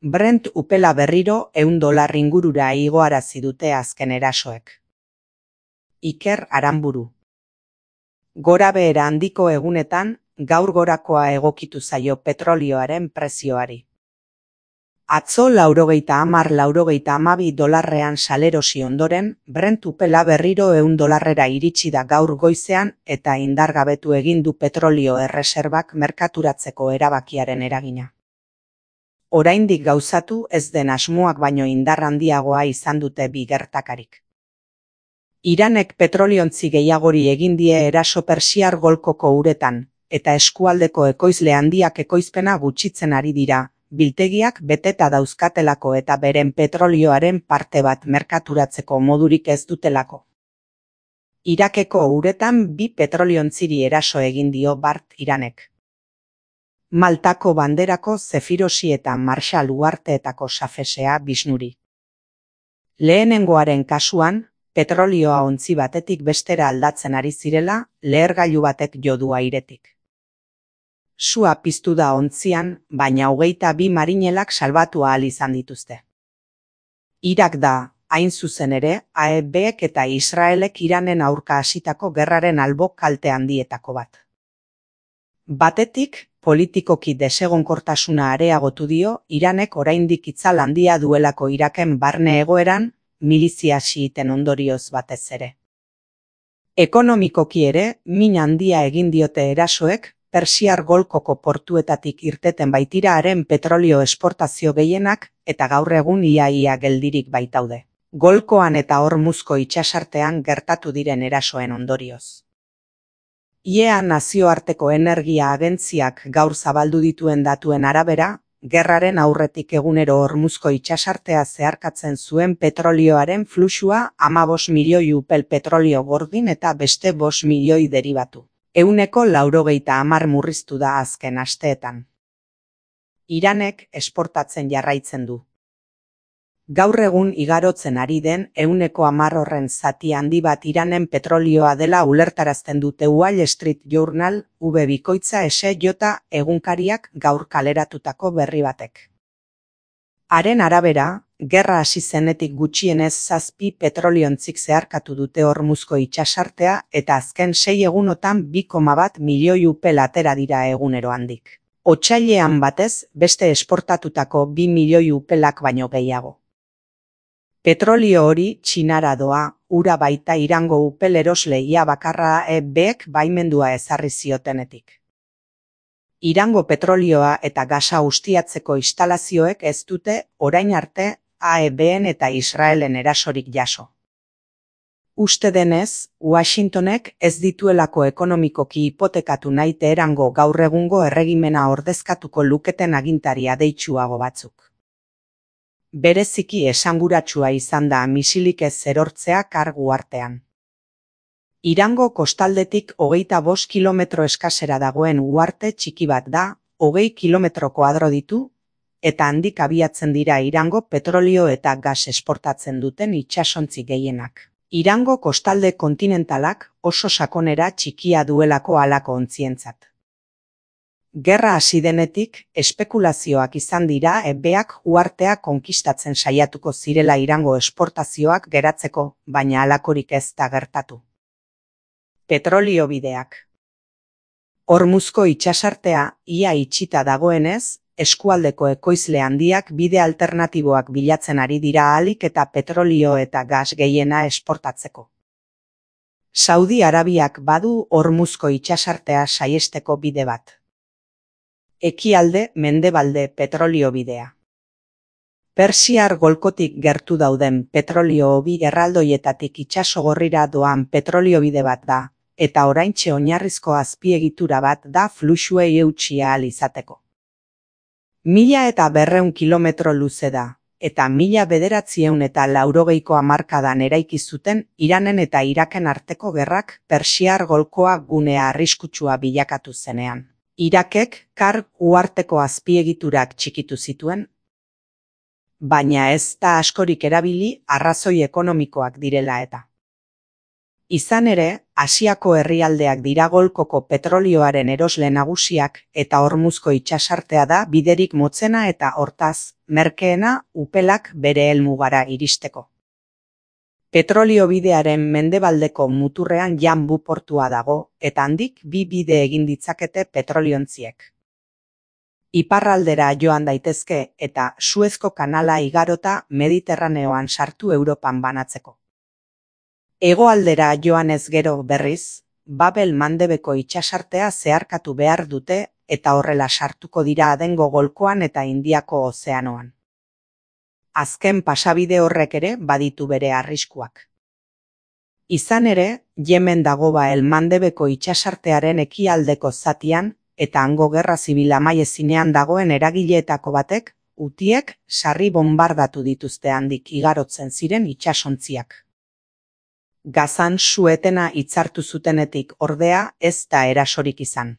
Brent upela berriro $100 ingurura igoarazi dute azken erasoek. Iker Aranburu. Gorabehera handiko egunetan, gaur gorakoa egokitu zaio petrolioaren prezioari. Atzo $90–92 salerosi ondoren, Brent upela berriro $100 iritsi da gaur goizean eta indargabetu egin du petrolio erreserbak merkaturatzeko erabakiaren eragina. Oraindik gauzatu ez den asmoak baino indar handiagoa izan dute bi gertakarik. Iranek petroliontzi gehiagori egin die eraso Persiar Golkoko uretan, eta eskualdeko ekoizle handiak ekoizpena gutxitzen ari dira, biltegiak beteta dauzkatelako eta beren petrolioaren parte bat merkaturatzeko modurik ez dutelako. Irakeko uretan bi petroliontziri eraso egin dio bart Iranek. Maltako banderako Zefirosi eta Marshall uharteetako Safesea Bisnuri. Lehenengoaren kasuan, petrolioa ontzi batetik bestera aldatzen ari zirela, lehergailu batek jo du airetik. Sua piztu da ontzian, baina 22 marinelak salbatu ahal izan dituzte. Irak da, hain zuzen ere, AEBek eta Israelek Iranen aurka hasitako gerraren albo kalte handietako bat. Batetik, politikoki desegonkortasuna areagotu dio, Iranek oraindik itzal handia duelako Iraken barne egoeran, milizia xiiten ondorioz batez ere. Ekonomikoki ere, min handia egin diote erasoek, Persiar Golkoko portuetatik irteten baitira haren petrolio esportazio gehienak, eta gaur egun ia geldirik baitaude. Golkoan eta Hormuzko itsasartean gertatu diren erasoen ondorioz. IEA nazioarteko energia agentziak gaur zabaldu dituen datuen arabera, gerraren aurretik egunero Hormuzko itsasartea zeharkatzen zuen petrolioaren fluxua 15 milioi upel petrolio gordin eta beste 5 milioi deribatu. 190 murriztu da azken asteetan. Iranek esportatzen jarraitzen du. Gaur egun igarotzen ari den 110 horren zati handi bat Iranen petrolioa dela ulertarazten dute Wall Street Journal, V-bikoitza SJ egunkariak gaur kaleratutako berri batek. Haren arabera, gerra hasi zenetik gutxienez 7 petroliontzik zeharkatu dute Hormuzko itsasartea eta azken 6 egunotan 2,1 milioi upel atera dira egunero handik. Otsailean batez, beste esportatutako 2 milioi upelak baino gehiago. Petrolio hori Txinara doa, ura baita Irango upel erosle ia bakarra AEBek baimendua ezarri ziotenetik. Irango petrolioa eta gasa ustiatzeko instalazioek ez dute orain arte AEBen eta Israelen erasorik jaso. Uste denez, Washingtonek ez dituelako ekonomikoki hipotekatu nahi Teherango gaur egungo erregimena ordezkatuko luketen agintaria deitsuago batzuk. Bereziki esanguratsua izan da misilik ez erortzea kargu artean. Irango kostaldetik 25 kilometro eskasera dagoen uharte txiki bat da, 20 kilometro koadro ditu, eta handik abiatzen dira Irango petrolio eta gas esportatzen duten itsasontzi gehienak. Irango kostalde kontinentalak oso sakonera txikia duelako halako ontzientzat. Gerra hasi denetik, espekulazioak izan dira AEBak uhartea konkistatzen saiatuko zirela Irango esportazioak geratzeko, baina halakorik ez da gertatu. Petrolio bideak. Hormuzko itsasartea ia itxita dagoenez, eskualdeko ekoizle handiak bide alternatiboak bilatzen ari dira ahalik eta petrolio eta gas gehiena esportatzeko. Saudi Arabiak badu Hormuzko itsasartea saiesteko bide bat. Ekialde mendebalde petrolio bidea. Persiar Golkotik gertu dauden petrolio hobi erraldoietatik itsasogorrira doan petrolio bide bat da, eta oraintxe oinarrizko azpiegitura bat da fluxuei eutsi ahal izateko. 1200 kilometro luze da, eta 1980ko hamarkadan eraiki zuten Iranen eta Iraken arteko gerrak Persiar Golkoa gunea arriskutsua bilakatu zenean. Irakek Kar uharteko azpiegiturak txikitu zituen, baina ez da askorik erabili arrazoi ekonomikoak direla eta. Izan ere, Asiako herrialdeak dira Golkoko petrolioaren erosle nagusiak eta Hormuzko itsasartea da biderik motzena eta hortaz, merkeena upelak bere helmugara iristeko. Petrolio bidearen mendebaldeko muturrean Yanbu portua dago eta handik bi bide egin ditzakete petroliontziek. Iparraldera joan daitezke eta Suezko kanala igarota Mediterraneoan sartu Europan banatzeko. Hegoaldera joanez gero berriz, Babel-Mandebeko itsasartea zeharkatu behar dute eta horrela sartuko dira Adengo golkoan eta Indiako ozeanoan. Azken pasabide horrek ere baditu bere arriskuak. Izan ere, Yemen dago Babel-Mandebeko itsasartearen ekialdeko zatian eta hango gerra zibil amaiezinean dagoen eragileetako batek, Hutiek sarri bonbardatu dituzte handik igarotzen ziren itsasontziak. Gazan su-etena hitzartu zutenetik ordea ez da erasorik izan.